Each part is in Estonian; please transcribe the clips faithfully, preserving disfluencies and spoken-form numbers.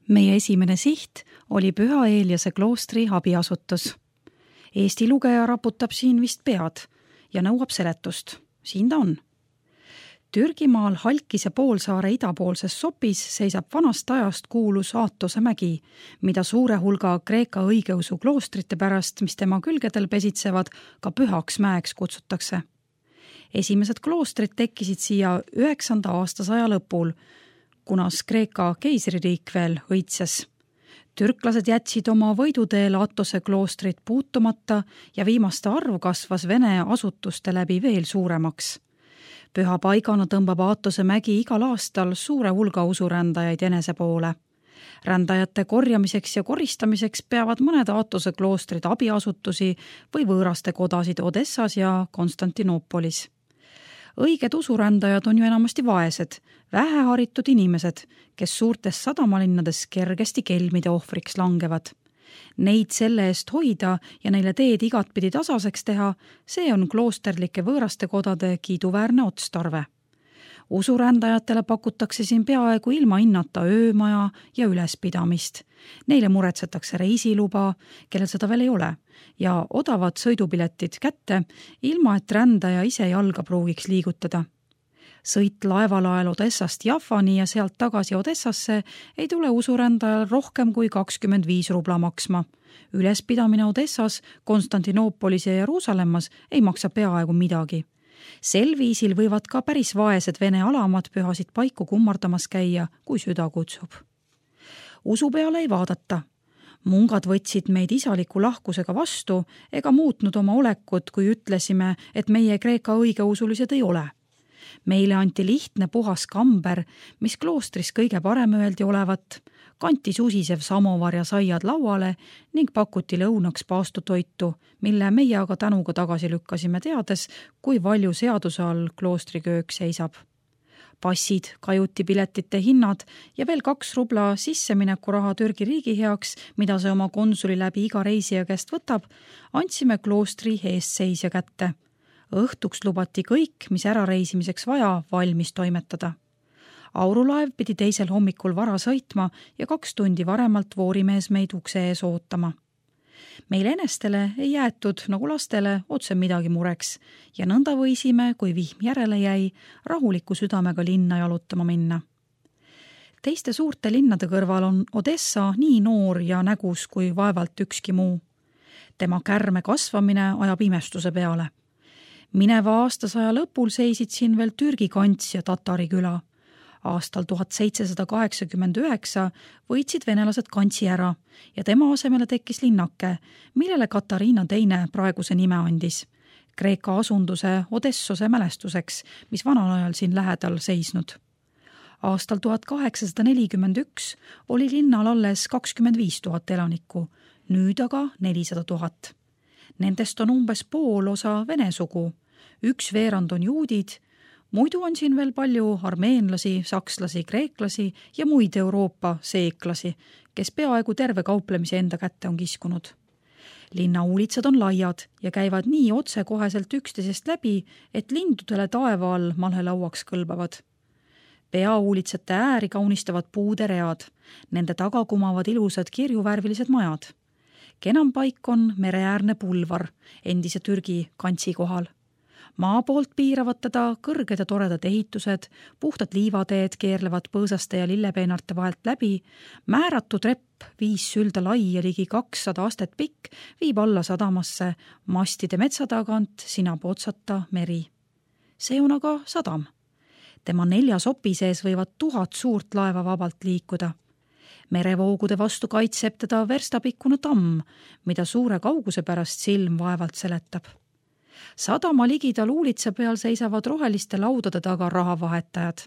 Meie esimene siht oli Püha Eeliase kloostri abiasutus. Eesti lugeja raputab siin vist pead ja nõuab seletust. Siin ta on. Türgimaal Halkise poolsaare idapoolses sopis seisab vanast ajast kuulus Aatose mägi, mida suure hulga Kreeka õigeusu kloostrite pärast, mis tema külgedel pesitsevad, ka pühaks mäeks kutsutakse. Esimesed kloostrid tekkisid siia üheksanda aastasaja lõpul, kunas Kreeka keisririik veel õitses. Türklased jätsid oma võiduteel Atose kloostrit puutumata ja viimaste arv kasvas Vene asutuste läbi veel suuremaks. Püha paigana tõmbab Aatose mägi igal aastal suure hulga usurändajaid enese poole. Rändajate korjamiseks ja koristamiseks peavad mõned Aatose kloostrid abiasutusi või võõraste kodasid Odessas ja Konstantinoopolis. Õiged usurändajad on ju enamasti vaesed, väheharitud inimesed, kes suurtes sadamalinnades kergesti kelmide ohvriks langevad. Neid selle eest hoida ja neile teed igatpidi tasaseks teha, see on kloosterlike võõraste kodade kiiduväärne otstarve. Usurändajatele pakutakse siin peaaegu ilma hinnata öömaja ja ülespidamist. Neile muretsetakse reisiluba, kellel seda veel ei ole, ja odavad sõidupiletid kätte, ilma et rändaja ise jalga pruugiks liigutada. Sõit laevalael Odessast Jaffani ja sealt tagasi Odessasse ei tule usurändajal rohkem kui kakskümmend viis rubla maksma. Ülespidamine Odessas, Konstantinoopolis ja Jeruusalemmas ei maksa peaaegu midagi. Sel viisil võivad ka päris vaesed Vene alamad pühasid paiku kummardamas käia, kui süda kutsub. Usu peale ei vaadata. Mungad võtsid meid isaliku lahkusega vastu ega muutnud oma olekut, kui ütlesime, et meie Kreeka õigeusulised ei ole. Meile anti lihtne puhas kamber, mis kloostris kõige parem öeldi olevat, kanti susisev samovar ja saiad lauale ning pakuti lõunaks paastutoitu, mille meie aga tänuga tagasi lükkasime teades, kui palju seaduse all kloostriköök seisab. Passid, kajutipiletite hinnad ja veel kaks rubla sissemineku raha Türgi riigi heaks, mida see oma konsuli läbi iga reisija käest võtab, andsime kloostri eestseisja kätte. Õhtuks lubati kõik, mis ära reisimiseks vaja, valmis toimetada. Aurulaev pidi teisel hommikul vara sõitma ja kaks tundi varemalt voorimees meid ukse ees ootama. Meil enestele ei jäetud, nagu lastele, otse midagi mureks ja nõnda võisime, kui vihm järele jäi, rahuliku südamega linna jalutama minna. Teiste suurte linnade kõrval on Odessa nii noor ja nägus kui vaevalt ükski muu. Tema kärme kasvamine ajab imestuse peale. Mineva aastasaja lõpul seisid siin veel Türgi kants ja Tatari küla. Aastal tuhat seitsesada kaheksakümmend üheksa võitsid venelased kantsi ära ja tema asemele tekkis linnake, millele Katariina teine praeguse nime andis. Kreeka asunduse Odessose mälestuseks, mis vanal ajal siin lähedal seisnud. Aastal tuhat kaheksasada nelikümmend üks oli linnal alles kakskümmend viis tuhat elanikku, nüüd aga nelisada tuhat. Nendest on umbes pool osa vene sugu. Üks veerand on juudid, muidu on siin veel palju armeenlasi, sakslasi, kreeklasi ja muid Euroopa seeklasi, kes peaaegu terve kauplemise enda kätte on kiskunud. Linna uulitsad on laiad ja käivad nii otsekoheselt üksteisest läbi, et lindudele taeva all malhelauaks kõlbavad. Peauulitsate ääri kaunistavad puuderead, nende taga kumavad ilusad kirjuvärvilised majad. Kenam paik on mereäärne pulvar endise Türgi kantsi kohal. Maa poolt piiravad teda kõrged ja toredad ehitused, puhtad liivateed keerlevad põõsaste ja lillepeenarte vahelt läbi, määratu trepp, viis sülda lai ja ligi kakssada astet pikk, viib alla sadamasse, mastide metsa tagant sinab otsata meri. See on aga sadam. Tema nelja sopi sees võivad tuhat suurt laeva vabalt liikuda. Merevoogude vastu kaitseb teda verstapikkune tamm, mida suure kauguse pärast silm vaevalt seletab. Sadama ligidal uulitsa peal seisavad roheliste laudade taga rahavahetajad.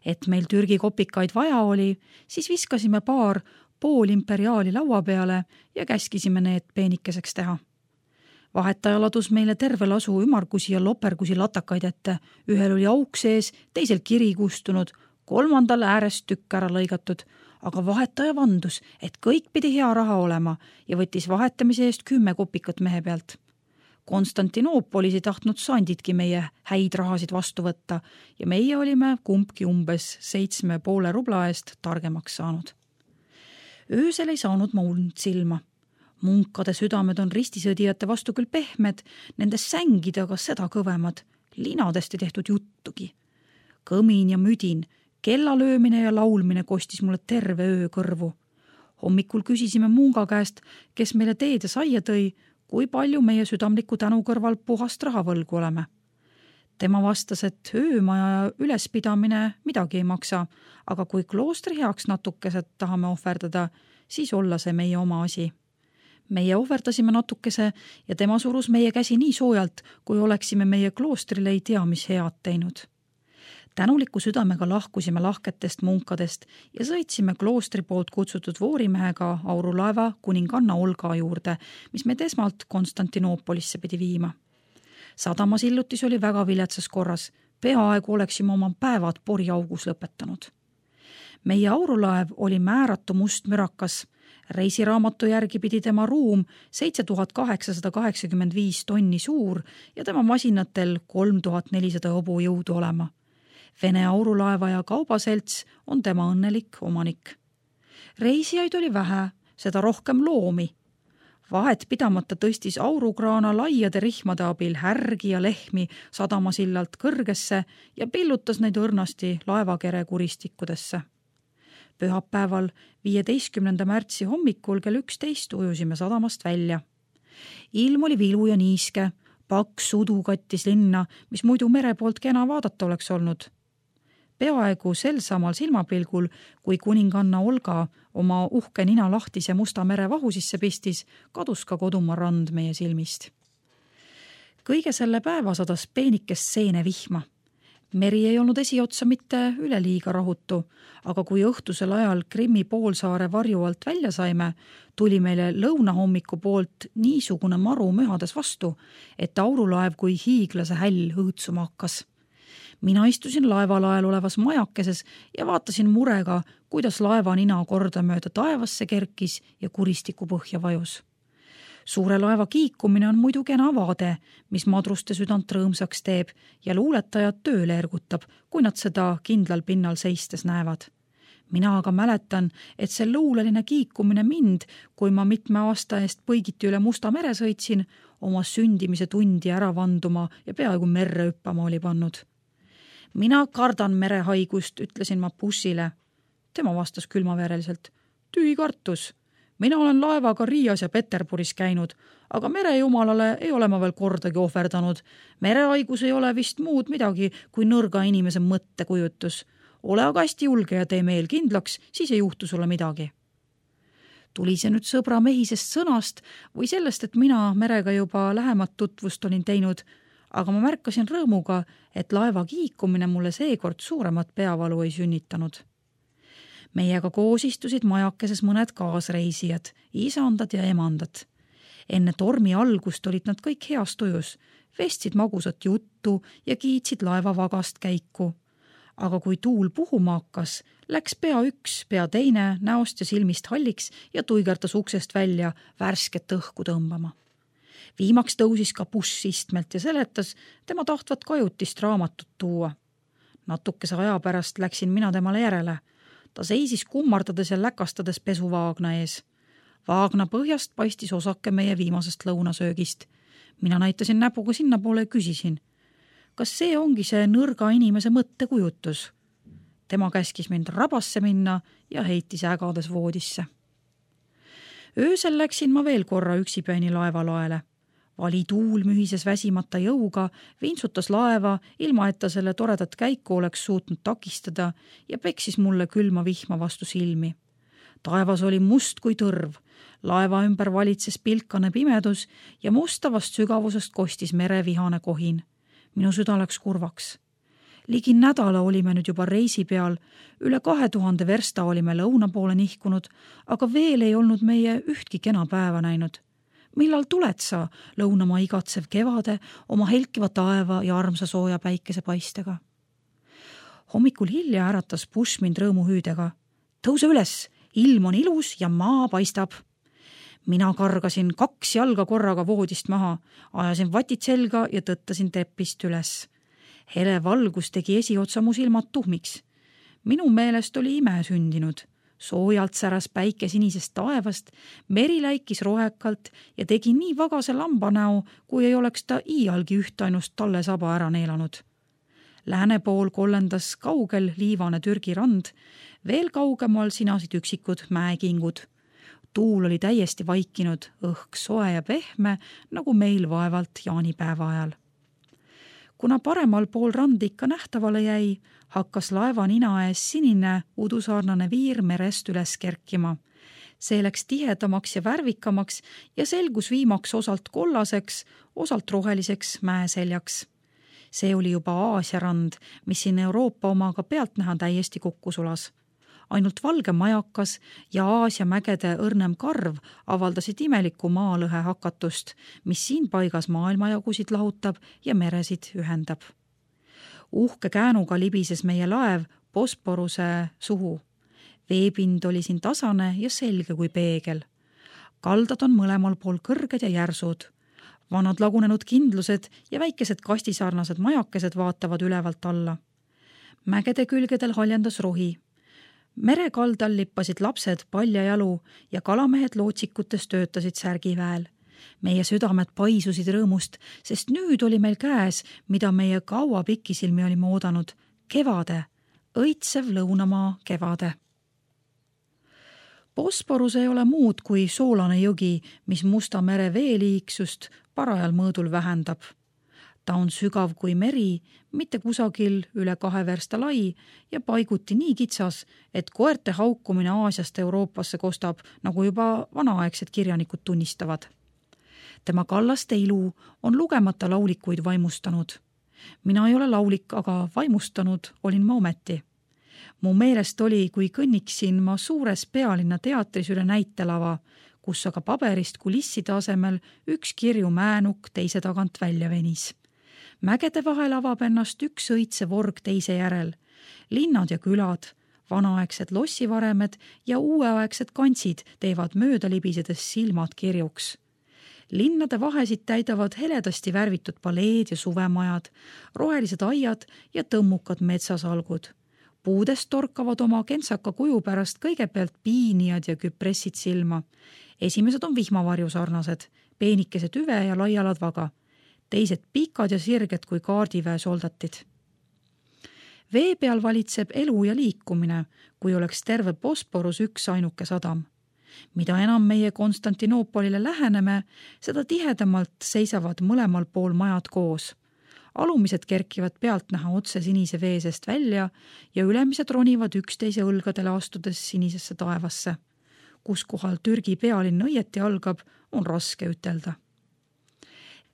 Et meil Türgi kopikaid vaja oli, siis viskasime paar pool imperiaali laua peale ja käskisime need peenikeseks teha. Vahetaja ladus meile terve lasu ümargusi ja lopergusi latakaid ette, ühel oli auk sees, teisel kiri kustunud, kolmandal äärest tükk ära lõigatud, aga vahetaja vandus, et kõik pidi hea raha olema ja võttis vahetamise eest kümme kopikat mehe pealt. Konstantinoopolis ei tahtnud sandidki meie häid rahasid vastu võtta ja meie olime kumbki umbes seitsme poole rubla eest targemaks saanud. Öösel ei saanud ma und silma. Munkade südamed on ristisõdijate vastu küll pehmed, nende sängid aga seda kõvemad, linadest ei tehtud juttugi. Kõmin ja müdin, kellalöömine ja laulmine kostis mulle terve öö kõrvu. Hommikul küsisime munga käest, kes meile teed ja saia tõi, kui palju meie südamliku tänu kõrval puhast rahavõlgu oleme. Tema vastas, et öömaja ülespidamine midagi ei maksa, aga kui kloostri heaks natukesed tahame ohverdada, siis olla see meie oma asi. Meie ohverdasime natukese ja tema surus meie käsi nii soojalt, kui oleksime meie kloostrile ei tea, mis head teinud. Tänuliku südamega lahkusime lahketest munkadest ja sõitsime kloostri poolt kutsutud voorimehega aurulaeva kuninganna Olga juurde, mis meid esmalt Konstantinoopolisse pidi viima. Sadamas illutis oli väga viletsas korras, peaaegu oleksime oma päevad poriaugus lõpetanud. Meie aurulaev oli määratu must mürakas. Reisiraamatu järgi pidi tema ruum seitse tuhat kaheksasada kaheksakümmend viis tonni suur ja tema masinatel kolm tuhat nelisada hobujõudu olema. Vene aurulaeva ja kaubaselts on tema õnnelik omanik. Reisijaid oli vähe, seda rohkem loomi. Vahet pidamata tõstis aurukraana laiade rihmade abil härgi ja lehmi sadamasillalt kõrgesse ja pillutas neid õrnasti laevakere kuristikkudesse. Pühapäeval viieteistkümnenda märtsi hommikul kell üksteist ujusime sadamast välja. Ilm oli vilu ja niiske, paks udu kattis linna, mis muidu mere poolt kena vaadata oleks olnud. Peaaegu sel samal silmapilgul, kui kuninganna Olga oma uhke nina lahtise Musta mere vahu sisse pistis, kadus ka kodumaa rand meie silmist. Kõige selle päeva sadas peenikest seene vihma. Meri ei olnud esiotsa mitte üleliiga rahutu, aga kui õhtusel ajal Krimmi poolsaare varju alt välja saime, tuli meile lõunahommiku poolt niisugune maru mühades vastu, et aurulaev kui hiiglase häll õõtsuma hakkas. Mina istusin laevalael olevas majakeses ja vaatasin murega, kuidas laeva nina kordamööda taevasse kerkis ja kuristiku põhja vajus. Suure laeva kiikumine on muidu kena vaade, mis madruste südant rõõmsaks teeb ja luuletajad tööle ergutab, kui nad seda kindlal pinnal seistes näevad. Mina aga mäletan, et see luuleline kiikumine mind, kui ma mitme aasta eest põigiti üle Musta mere sõitsin, oma sündimise tundi ära vanduma ja peaaegu merre hüppama oli pannud. Mina kardan merehaigust, ütlesin ma bussile. Tema vastas külmavereliselt. Tühi kartus. Mina olen laevaga Riias ja Peterburis käinud, aga merejumalale ei ole ma veel kordagi ohverdanud. Merehaigus ei ole vist muud midagi kui nõrga inimese mõttekujutus. Ole aga hästi julge ja tee meel kindlaks, siis ei juhtu sulle midagi. Tuli see nüüd sõbra mehisest sõnast või sellest, et mina merega juba lähemat tutvust olin teinud, aga ma märkasin rõõmuga, et laeva kiikumine mulle seekord suuremat peavalu ei sünnitanud. Meiega koos istusid majakeses mõned kaasreisijad, isandad ja emandad. Enne tormi algust olid nad kõik heas tujus, vestsid magusat juttu ja kiitsid laeva vagast käiku. Aga kui tuul puhuma hakkas, läks pea üks, pea teine näost ja silmist halliks ja tuigertas uksest välja värsket õhku tõmbama. Viimaks tõusis ka buss istmelt ja seletas tema tahtvat kajutist raamatut tuua. Natukese aja pärast läksin mina temale järele. Ta seisis kummardades ja läkastades pesuvaagna ees. Vaagna põhjast paistis osake meie viimasest lõunasöögist. Mina näitasin näpuga sinna poole ja küsisin, kas see ongi see nõrga inimese mõttekujutus? Tema käskis mind rabasse minna ja heitis ägades voodisse. Öösel läksin ma veel korra üksipäini laevalaele. Vali tuul mühises väsimata jõuga, vintsutas laeva, ilma et ta selle toredat käiku oleks suutnud takistada ja peksis mulle külma vihma vastu silmi. Taevas oli must kui tõrv, laeva ümber valitses pilkane pimedus ja mustavast sügavusest kostis merevihane kohin. Minu süda läks kurvaks. Ligi nädala olime nüüd juba reisi peal, üle kahe tuhande versta olime lõuna poole nihkunud, aga veel ei olnud meie ühtki kena päeva näinud. Millal tuled sa, lõunamaa igatsev kevade, oma helkiva taeva ja armsa sooja päikese paistega? Hommikul hilja äratas buss mind rõõmuhüüdega. Tõuse üles, ilm on ilus ja maa paistab. Mina kargasin kaks jalga korraga voodist maha, ajasin vatid selga ja tõttasin trepist üles. Hele valgus tegi esiotsa mu silmad tuhmiks. Minu meelest oli ime sündinud. Soojalt säras päike sinisest taevast, meri läikis rohekalt ja tegi nii vagase lambanäo, kui ei oleks ta iialgi ühtainust talle saba ära neelanud. Lääne pool kollendas kaugel liivane Türgi rand, veel kaugemal sinasid üksikud mäekingud. Tuul oli täiesti vaikinud, õhk soe ja pehme, nagu meil vaevalt jaanipäeva ajal. Kuna paremal pool rand ikka nähtavale jäi, hakkas laeva nina ees sinine udusarnane viir merest üles kerkima. See läks tihedamaks ja värvikamaks ja selgus viimaks osalt kollaseks, osalt roheliseks mäeseljaks. See oli juba Aasia rand, mis siin Euroopa omaga pealt näha täiesti kokku sulas. Ainult valge majakas ja Aasia mägede õrnem karv avaldasid imeliku maalõhe hakatust, mis siin paigas maailmajagusid lahutab ja meresid ühendab. Uhke käänuga libises meie laev Bosporuse suhu. Veepind oli siin tasane ja selge kui peegel. Kaldad on mõlemal pool kõrged ja järsud. Vanad lagunenud kindlused ja väikesed kastisarnased majakesed vaatavad ülevalt alla. Mägede külgedel haljendas rohi. Merekaldal lippasid lapsed paljajalu ja kalamehed lootsikutes töötasid särgiväel. Meie südamed paisusid rõõmust, sest nüüd oli meil käes, mida meie kaua pikisilmi olime oodanud. Kevade, õitsev lõunamaa kevade. Bosporus ei ole muud kui soolane jõgi, mis Musta mere veeliiksust parajal mõõdul vähendab. Ta on sügav kui meri, mitte kusagil üle kahe versta lai ja paiguti nii kitsas, et koerte haukumine Aasiast Euroopasse kostab, nagu juba vanaaegsed kirjanikud tunnistavad. Tema kallaste ilu on lugemata laulikuid vaimustanud. Mina ei ole laulik, aga vaimustanud olin ma ometi. Mu meelest oli, kui kõnniksin ma suures pealinna teatris üle näitelava, kus aga paberist kulisside asemel üks kirju määnuk teise tagant välja venis. Mägede vahel avab ennast üks õitse vorg teise järel. Linnad ja külad, vanaaegsed lossivaremed ja uueaegsed kantsid teevad mööda libisedes silmad kirjuks. Linnade vahesid täidavad heledasti värvitud paleed ja suvemajad, rohelised aiad ja tõmmukad metsasalgud. Puudest torkavad oma kentsaka kuju pärast kõigepealt piinijad ja küpressid silma. Esimesed on vihmavarju sarnased, peenikese tüve ja laialad vaga. Teised pikad ja sirged kui kaardiväe soldatid. Vee peal valitseb elu ja liikumine, kui oleks terve Bosporus üks ainuke sadam. Mida enam meie Konstantinoopolile läheneme, seda tihedamalt seisavad mõlemal pool majad koos. Alumised kerkivad pealt näha otse sinise veesest välja ja ülemised ronivad üksteise õlgadele astudes sinisesse taevasse. Kus kohal Türgi pealinn õieti algab, on raske ütelda.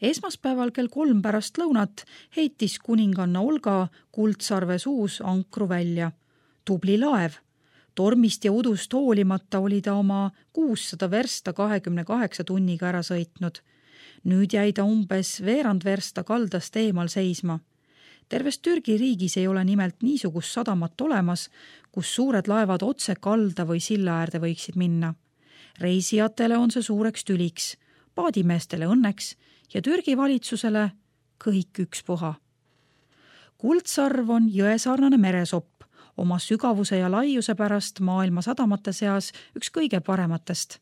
Esmaspäeval kell kolm pärast lõunat heitis kuninganna Olga Kuldsarve suus ankru välja. Tubli laev. Tormist ja udust hoolimata oli ta oma kuussada versta kahekümne kaheksa tunniga ära sõitnud. Nüüd jäi ta umbes veerand versta kaldast eemal seisma. Terves Türgi riigis ei ole nimelt niisugust sadamat olemas, kus suured laevad otse kalda või silla äärde võiksid minna. Reisijatele on see suureks tüliks, paadimeestele õnneks ja Türgi valitsusele kõik ükspuha. Kuldsarv on jõesarnane meresopp, oma sügavuse ja laiuse pärast maailma sadamate seas üks kõige parematest.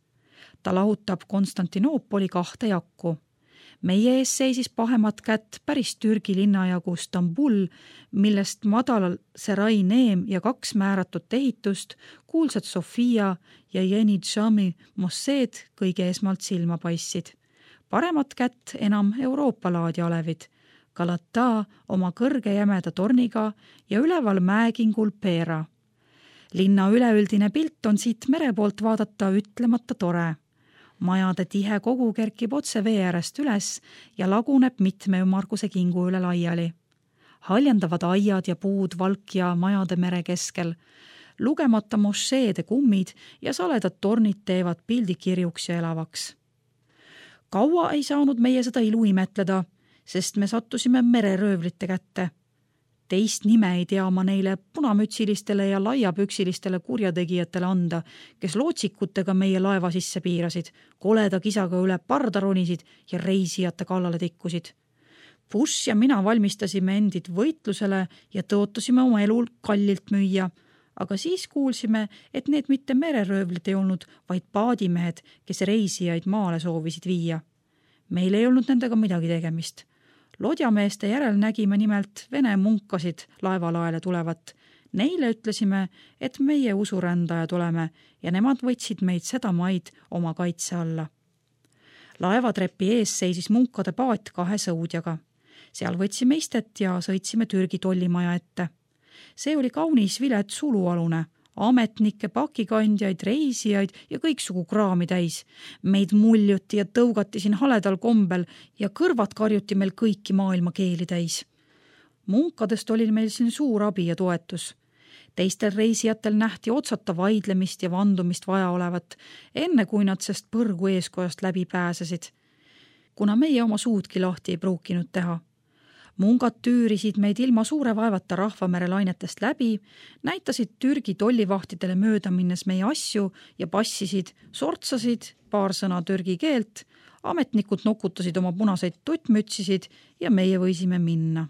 Ta lahutab Konstantinoopoli kahte jakku. Meie ees seisis pahemat kätt päris Türgi linnajagu Stambul, millest madalal Serai Neem ja kaks määratut ehitust, kuulsad Sofia ja Yeni Džami mosseed kõige esmalt silma paissid. Paremat kätt enam Euroopa laadi alevid, Galata oma kõrge jämeda torniga ja üleval mäekingul Pera. Linna üleüldine pilt on siit mere poolt vaadata ütlemata tore. Majade tihe kogu kerkib otse vee äärest üles ja laguneb mitme ümmarguse kingu üle laiali. Haljendavad aiad ja puud valkja majade mere keskel. Lugemata mošeede kummid ja saledad tornid teevad pildi kirjuks ja elavaks. Kaua ei saanud meie seda ilu imetleda, sest me sattusime mereröövlite kätte. Teist nime ei tea ma neile punamütsilistele ja laiapüksilistele kurjategijatele anda, kes lootsikutega meie laeva sisse piirasid, koleda kisaga üle parda ronisid ja reisijate kallale tikkusid. Bush ja mina valmistasime endid võitlusele ja tõotasime oma elul kallilt müüa, aga siis kuulsime, et need mitte mereröövlid ei olnud, vaid paadimehed, kes reisijaid maale soovisid viia. Meil ei olnud nendega midagi tegemist. Lodjameeste järel nägime nimelt vene munkasid laevalaele tulevat. Neile ütlesime, et meie usurändajad oleme ja nemad võtsid meid seda maid oma kaitse alla. Laevatrepi ees seisis munkade paat kahe sõudjaga. Seal võtsime istet ja sõitsime Türgi tollimaja ette. See oli kaunis vilet sulualune, ametnikke, pakikandjaid, reisijaid ja kõiksugu kraami täis. Meid muljuti ja tõugati siin haledal kombel ja kõrvad karjuti meil kõiki maailma keeli täis. Munkadest oli meil siin suur abi ja toetus. Teistel reisijatel nähti otsata vaidlemist ja vandumist vaja olevat, enne kui nad sest põrgu eeskojast läbi pääsesid. Kuna meie oma suudki lahti ei pruukinud teha. Mungad tüürisid meid ilma suure vaevata rahvamere lainetest läbi, näitasid Türgi tollivahtidele mööda minnes meie asju ja passisid, sortsasid paar sõna türgi keelt, ametnikud nokutasid oma punaseid tuttmütsisid ja meie võisime minna.